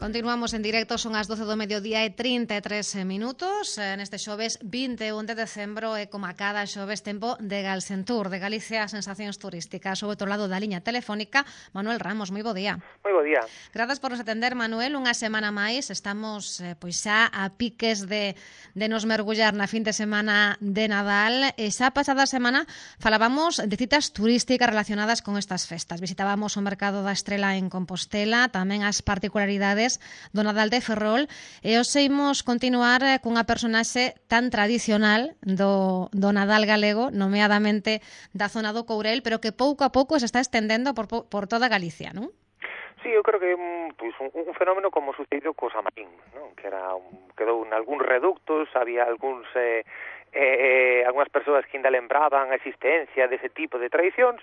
Continuamos en directo, son as 12 do mediodía e 33 minutos. Neste xoves 21 de decembro e como a cada xoves tempo de Galsentur, de Galicia Sensacións Turísticas. Ao outro lado da liña telefónica, Manuel Ramos, moi bo día. Moi bo día. Grazas por nos atender, Manuel. Unha semana máis, estamos pois xa a piques de nos mergullar na fin de semana de Nadal. E xa pasada semana falábamos de citas turísticas relacionadas con estas festas. Visitábamos o Mercado da Estrela en Compostela, tamén as particularidades do Nadal de Ferrol, e hoxe imos continuar cunha personaxe tan tradicional do Nadal galego, nomeadamente da zona do Courel, pero que pouco a pouco se está estendendo por toda Galicia, non? Sí, eu creo que un fenómeno como sucedido co Samarín, non? Que quedou en algúns reductos, había algúns algunhas persoas que ainda lembraban a existencia dese tipo de tradicións,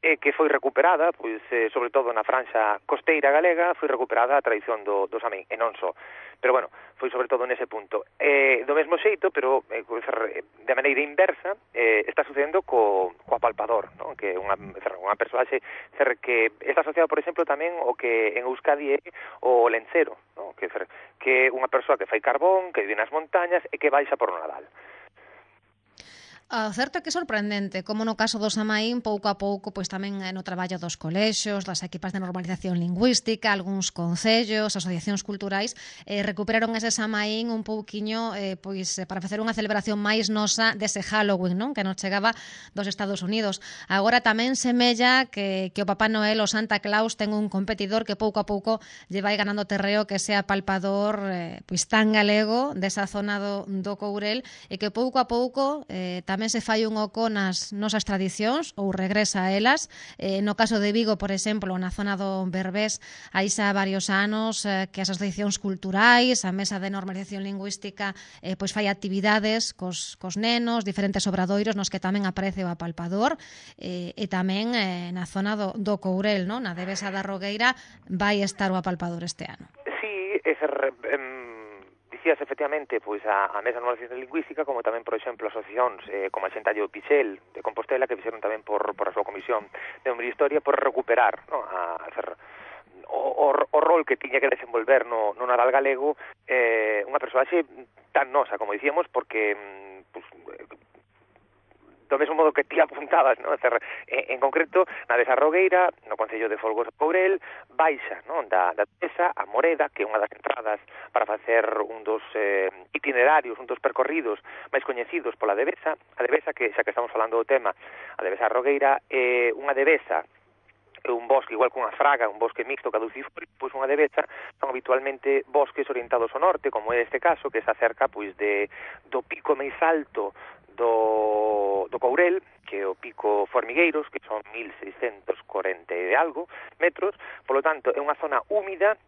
que foi recuperada, pois, sobre todo na franxa costeira galega, foi recuperada a tradición do Samín, e non só. Pero, bueno, foi sobre todo nese punto. Do mesmo xeito, pero de maneira inversa, está sucedendo co apalpador, non? Que é unha persoaxe que está asociada, por exemplo, tamén o que en Euskadi é o lencero, non? Que é unha persoa que fai carbón, que vive nas montañas e que baixa por o Nadal. O certo é que é sorprendente, como no caso do Samaín, pouco a pouco, pois tamén no traballo dos colexios, das equipas de normalización lingüística, algúns concellos, asociacións culturais, recuperaron ese Samaín un pouquiño pois para facer unha celebración máis nosa dese Halloween, non? Que nos chegaba dos Estados Unidos. Agora tamén semella que o Papá Noel, o Santa Claus, ten un competidor que pouco a pouco lle vai ganando terreo, que sea palpador pois tan galego desa zona do Courel, e que pouco a pouco tamén se fai un oco nas nosas tradicións ou regresa a elas. No caso de Vigo, por exemplo, na zona do Berbés, hai xa varios anos que as asociacións culturais, a Mesa de Normalización Lingüística, pois fai actividades cos nenos, diferentes obradoiros nos que tamén aparece o apalpador, e tamén na zona do Courel, non? Na Devesa da Rogueira vai estar o apalpador este ano. Sí, dicías efectivamente pois a Mesa de Normalización Lingüística, como tamén, por exemplo, asociacións como a Xentallo Pichel de Compostela, que fixeron tamén por a súa comisión de Memoria e Historia por recuperar, non? O rol que tiña que desenvolver no Nadal galego, unha persoaxe tan nosa, como dicíamos, porque do mesmo modo que ti apuntabas, non? En concreto, na Devesa Rogueira, no Concello de Folgos do Courel, baixa, non? Da Devesa a Moreda, que é unha das entradas para facer un dos itinerarios, un dos percorridos máis coñecidos pola Devesa. A Devesa, que xa que estamos falando do tema, a Devesa Rogueira é unha devesa, é un bosque igual cunha fraga, un bosque mixto caducifolio, pois unha devesa son habitualmente bosques orientados ao norte, como é este caso, que se acerca pois do pico máis alto do Courel, que é o pico Formigueiros, que son 1640 e algo metros. Polo tanto, é unha zona húmida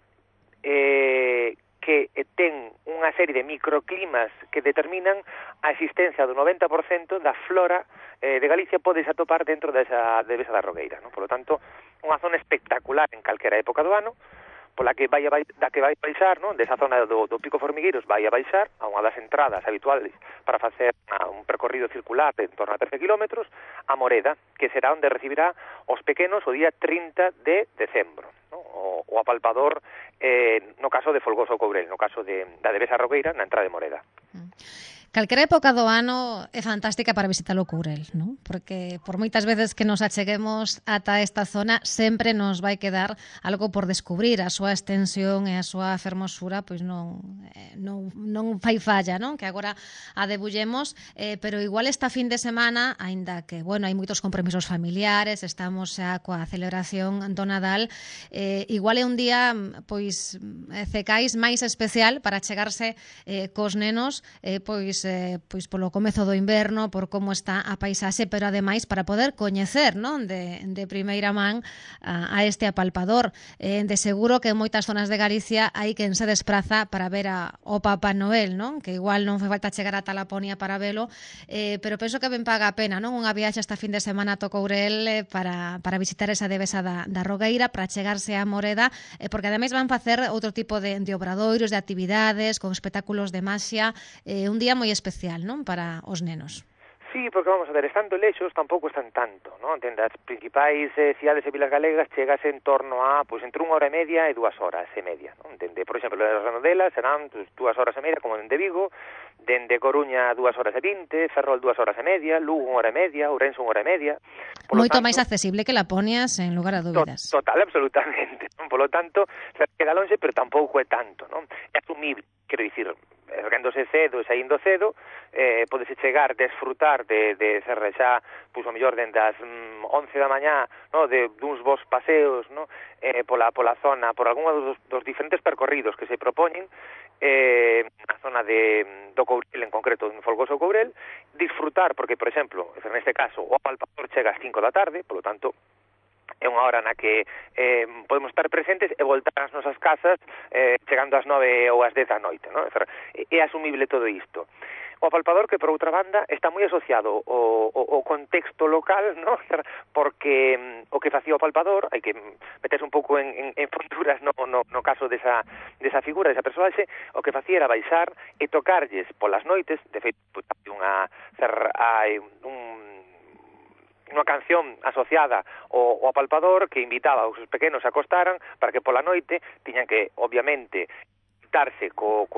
que ten unha serie de microclimas que determinan a existencia do 90% da flora de Galicia podes atopar dentro desa Devesa da Rogueira, non? Polo tanto, unha zona espectacular en calquera época do ano, pola que vai baixar, non? Desa zona do Pico Formigueiros vai a baixar a unha das entradas habituales para facer un percorrido circular de en torno a 13 kilómetros a Moreda, que será onde recibirá os pequenos o día 30 de decembro, non? O apalpador no caso de Folgoso Courel, no caso da Devesa Rogueira, na entrada de Moreda. Calquera época do ano é fantástica para visitar o Courel, non? Porque por moitas veces que nos acheguemos ata esta zona sempre nos vai quedar algo por descubrir. A súa extensión e a súa fermosura pois non fai falla, non? Que agora a debullemos, pero igual esta fin de semana, aínda que, bueno, hai moitos compromisos familiares, estamos xa coa celebración do Nadal, igual é un día pois cecais máis especial para chegarse cos nenos, pois polo comezo do inverno, por como está a paisaxe, pero ademais para poder coñecer, non? De primeira man a este apalpador. De seguro que en moitas zonas de Galicia hai quen se despraza para ver o Papá Noel, non? Que igual non foi falta chegar a Laponia para velo, pero penso que ben paga a pena, non? Unha viaxe esta fin de semana a Courel para visitar esa Devesa da Rogueira, para chegarse a Moreda, porque ademais van facer outro tipo de obradoiros, de actividades, con espectáculos de maxia, un día moi especial, non? Para os nenos. Sí, porque vamos a ver, estando lexos tampouco están tanto, non? Dende as principais cidades e vilas galegas chegas en torno a, pois, entre 1 hora e media e 2 horas e media, non? Dende, por exemplo, as Granadela serán 2 horas e media, como dende Vigo, dende Coruña 2 horas e 20, Ferrol 2 horas e media, Lugo 1 hora e media, Ourense 1 hora e media. Moito máis accesible que Laponia, sen lugar a dúbidas. Total, absolutamente. Non? Polo tanto, queda longe, pero tampouco é tanto, non? É asumible, quero dicir, erguéndose cedo e saindo cedo, podese chegar, desfrutar de ser xa, pois, o mellor, dende as 11 da mañá, no? Duns vos paseos, no? Pola zona, por algún dos diferentes percorridos que se propoñen, na zona do Courel, en concreto, en Folgoso Courel, disfrutar, porque, por exemplo, neste caso, o Apalpador chega ás 5 da tarde, polo tanto, é unha hora na que podemos estar presentes e voltar ás nosas casas chegando ás 9 ou ás 10 da noite, non? É asumible todo isto. O Apalpador, que por outra banda está moi asociado ao contexto local, non? Porque o que facía o Apalpador, hai que meterse un pouco en fonduras no caso desa figura, desa personaxe, o que facía era baixar e tocarlles polas noites, de feito, hai unha canción asociada ao Apalpador que invitaba aos pequenos a acostaran para que pola noite tiñan que, obviamente, darse co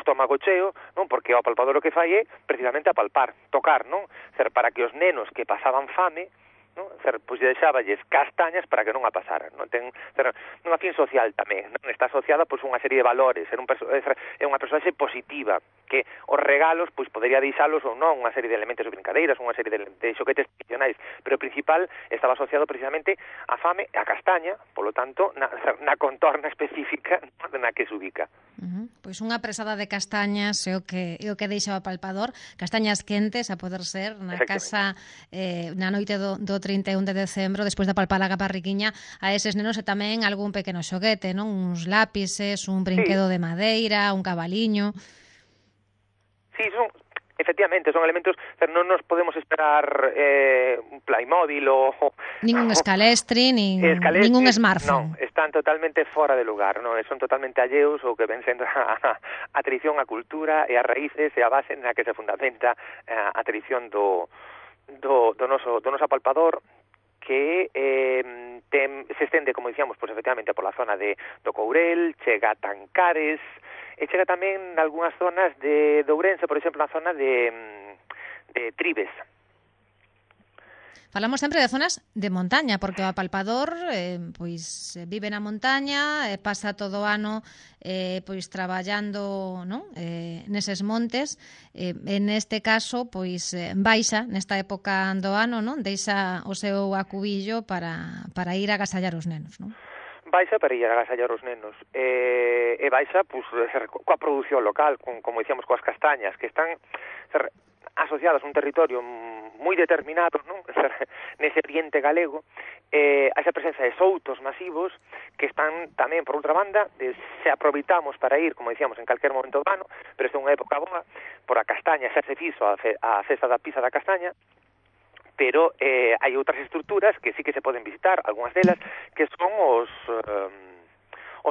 estómago cheo, non? Porque o Apalpador o que fai é precisamente apalpar, tocar, non? Para que os nenos que pasaban fame, non? Pois deixaballes castañas para que non a pasaran, non? Ten unha fin social tamén, non? Está asociada pois unha serie de valores, é unha personaxe positiva, que os regalos pois podería deixalos ou non, unha serie de elementos de brincadeiras, unha serie de xoquetes tradicionais, pero o principal estaba asociado precisamente á fame e á castaña, polo tanto, na contorna específica na que se ubica. Pois unha presada de castañas é o que deixa o Apalpador, castañas quentes a poder ser na casa na noite do 31 de decembro, despois de apalpar a barriquiña a eses nenos, e tamén algún pequeno xoguete, non? Uns lápices, un brinquedo de madeira, un cabaliño. Sí, efectivamente, son elementos, non nos podemos esperar un Playmobil ou ningún escalestri, ningún smartphone. Non, están totalmente fora de lugar, non? Son totalmente alleus ou que ven sendo a tradición, a cultura e as raíces e a base na que se fundamenta a tradición do noso Apalpador, que se estende, como dicíamos, pois efectivamente pola zona do Courel, chega a Tancares, e chega tamén nalgúnas zonas de Ourense, por exemplo, na zona de Tribes. Falamos sempre de zonas de montaña, porque o Apalpador pois vive na montaña, pasa todo o ano pois traballando, non? Neses montes, en este caso pois baixa nesta época do ano, non? Deixa o seu acubillo para ir a agasallar os nenos, non? Baixa para ir a agasallar os nenos e baixa pois, coa produción local, como dicíamos, coas castañas que están asociadas a un territorio moi determinado, non? Nese oriente galego, a esa presenza de soutos masivos que están tamén, por outra banda, se aproveitamos para ir, como dicíamos, en calquer momento do ano, pero esta é unha época boa, por a castaña xa se fixo a festa da pizza da castaña, pero hai outras estruturas que sí que se poden visitar, algunhas delas, que son os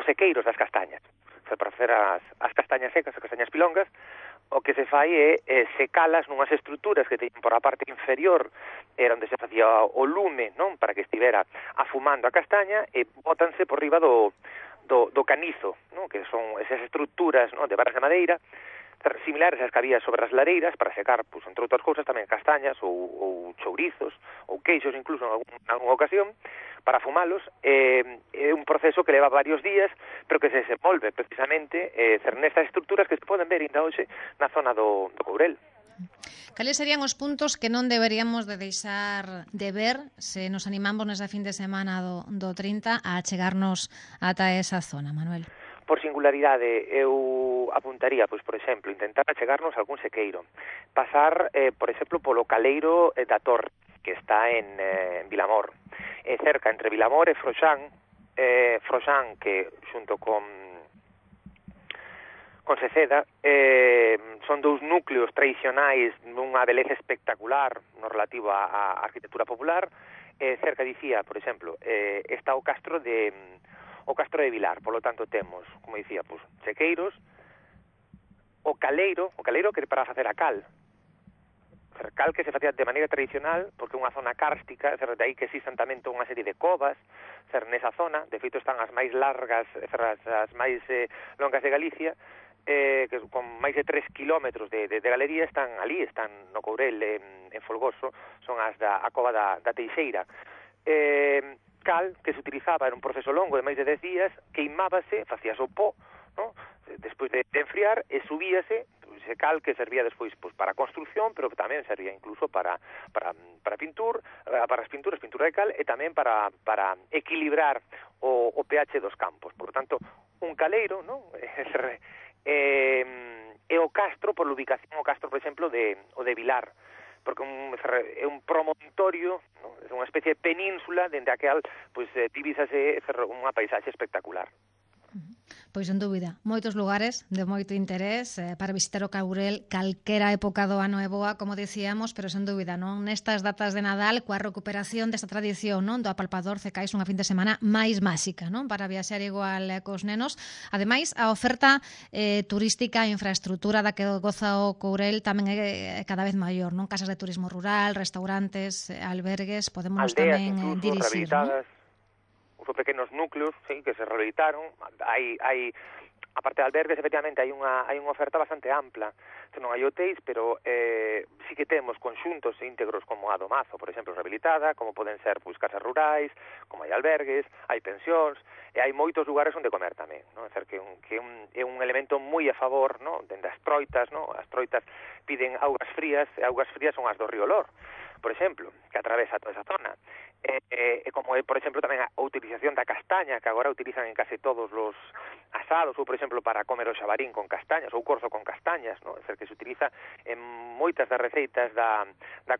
sequeiros das castañas. Para facer as castañas secas, as castañas pilongas, o que se fai é secalas nunhas estruturas que teñen por a parte inferior, era onde se facía o lume, non? Para que estivera afumando a castaña, e bótanse por riba do canizo, non? Que son esas estruturas, non? De varas de madeira, similares ás que había sobre as lareiras para secar, pois, entre outras cousas, tamén castañas ou chourizos ou queixos incluso en algunha ocasión para fumalos. É un proceso que leva varios días, pero que se desenvolve precisamente nestas estruturas que se poden ver ainda hoxe na zona do Courel. Cales serían os puntos que non deberíamos de deixar de ver se nos animamos nesa fin de semana do 30 a chegarnos ata esa zona, Manuel? Por singularidade, eu apuntaría, pois, por exemplo, intentar achegarnos a algún sequeiro. Pasar, por exemplo, polo caleiro da Torre, que está en Vilamor. Cerca entre Vilamor e Froxán, que xunto con Seceda, son dous núcleos tradicionais dunha beleza espectacular no relativo á arquitectura popular. Cerca, dicía, por exemplo, está o Castro de Vilar, polo tanto temos, como dicía, pois, sequeiros, o caleiro que para facer a cal, cal que se facía de maneira tradicional, porque é unha zona kárstica, de aí que existan tamén toda unha serie de covas, nesa zona, de feito están as máis largas, as máis longas de Galicia, que con máis de 3 kilómetros de galería están ali, están no Courel, en Folgoso, son as da a cova da Teixeira. Cal que se utilizaba, era un proceso longo de máis de 10 días, queimábase, facíase o pó, ¿no? Despois de enfriar, e subíase ese cal que servía despois para a construcción, pero que tamén servía incluso para pintura de cal, e tamén para equilibrar o pH dos campos. Por lo tanto, un caleiro, ¿no? E o castro, por la ubicación, o castro, por exemplo, o de Vilar, porque é un promontorio, ¿no? É unha especie de península dende a que divísase unha paisaxe espectacular. Pois, sen dúbida, moitos lugares de moito interés para visitar o Courel, calquera época do ano é boa, como dicíamos, pero sen dúbida, non nestas datas de Nadal, coa recuperación desta tradición, non, do apalpador, cecais unha fin de semana máis máxica, non, para viaxar igual cos nenos. Ademais, a oferta turística e infraestructura da que goza o Courel tamén é cada vez maior, non, casas de turismo rural, restaurantes, albergues, podemos aldeas, tamén incluso, dirixir, rehabilitadas, pequenos núcleos, sí, que se rehabilitaron. Hai aparte de albergues, efectivamente, hai unha oferta bastante ampla. Non hai hotéis, pero sí que temos conxuntos íntegros como a do Mazo, por exemplo, rehabilitada, como poden ser casas rurais, como hai albergues, hai pensións, e hai moitos lugares onde comer tamén, non? É dizer, que é un elemento moi a favor, non? Dende as troitas, non? As troitas piden augas frías, e augas frías son as do río Lor, por exemplo, que atravesa toda esa zona. E como é, por exemplo, tamén a utilización da castaña, que agora utilizan en case todos os asados, ou, por exemplo, para comer o xabarín con castañas, ou corzo con castañas, non? É dizer, que se utiliza en moitas das receitas da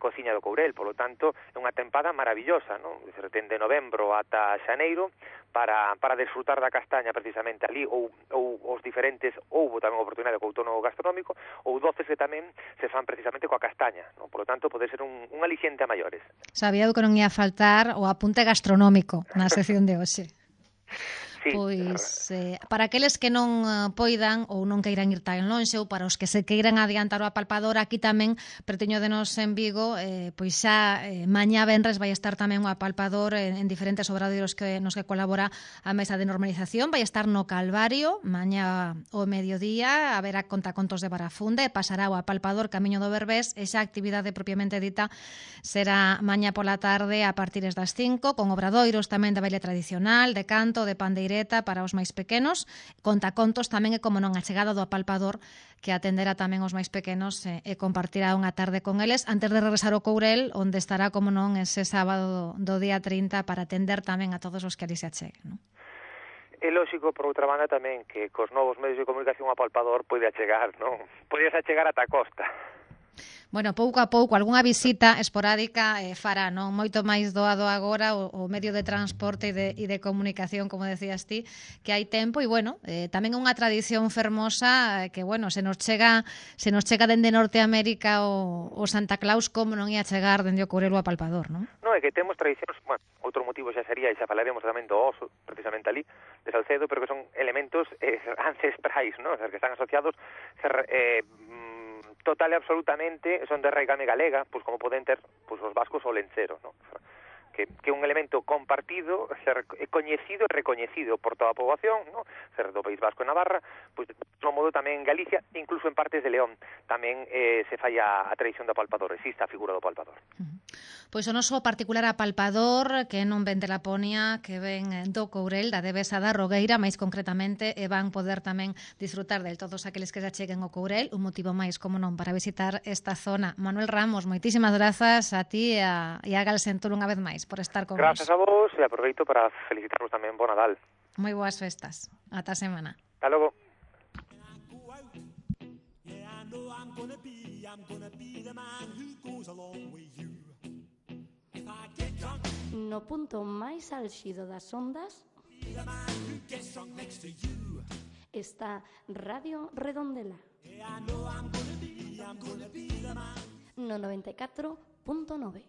cociña do Courel, polo tanto, é unha tempada maravillosa, non? É dizer, dende novembro ata xaneiro, para desfrutar da castaña precisamente ali, ou os diferentes, houbo tamén oportunidade co outono gastronómico, ou doces que tamén se fan precisamente coa castaña, non? Polo tanto, pode ser un aliciente a maiores. Sabía que non ia faltar o apunte gastronómico na sección de hoxe. Sí. Pois, para aqueles que non poidan ou non queiran ir tan lonxe, ou para os que se queiran adiantar o apalpador, aquí tamén, pertiño de nos en Vigo, pois xa mañá venres vai estar tamén o apalpador en diferentes obradoiros nos que colabora a Mesa de Normalización. Vai estar no Calvario, mañá ao mediodía, haberá contacontos de Barafunde, pasará o apalpador Camiño do Berbés, e xa a actividade propiamente dita será mañá pola tarde a partir das 5, con obradoiros tamén de baile tradicional, de canto, de pandeireta para os máis pequenos, contacontos tamén, e como non, a chegada do apalpador que atenderá tamén os máis pequenos e compartirá unha tarde con eles antes de regresar ao Courel, onde estará, como non, ese sábado do día 30 para atender tamén a todos os que ali se acheguen, non? É lógico, por outra banda, tamén que cos novos medios de comunicación o apalpador pode achegar, non? Podes achegar ata a costa. Bueno, pouco a pouco, algunha visita esporádica fará, non? Moito máis doado agora o medio de transporte e de comunicación, como decías ti, que hai tempo, e bueno, tamén é unha tradición fermosa que, bueno, se nos chega dende Norteamérica o Santa Claus, como non ia chegar dende o Courel o apalpador, non? Non, é que temos tradicións, bueno, outro motivo xa sería, e xa falaremos tamén do oso, precisamente ali, de Salcedo, pero que son elementos ancestrais, non? O sea, que están asociados total e absolutamente, son de raigame galega, pois como poden ter os vascos o lencero, non? Que é un elemento compartido, coñecido e recoñecido por toda a poboación, ¿no? Ser do País Vasco e Navarra, pois de outro modo tamén en Galicia, incluso en partes de León, tamén se fai a tradición do apalpador, existe a figura do apalpador. Pois o noso particular apalpador, que non ven de Laponia, que ven do Courel, da Devesa da Rogueira, máis concretamente, e van poder tamén disfrutar del todos aqueles que se acheguen ao Courel, un motivo máis, como non, para visitar esta zona. Manuel Ramos, moitísimas grazas a ti e a Gal Sentur unha vez máis por estar con nós. Grazas a vos, e aproveito para felicitarvos tamén bo Nadal. Moi boas festas. Ata a semana. Hasta logo. No punto máis álxido das ondas está Radio Redondela no 94.9.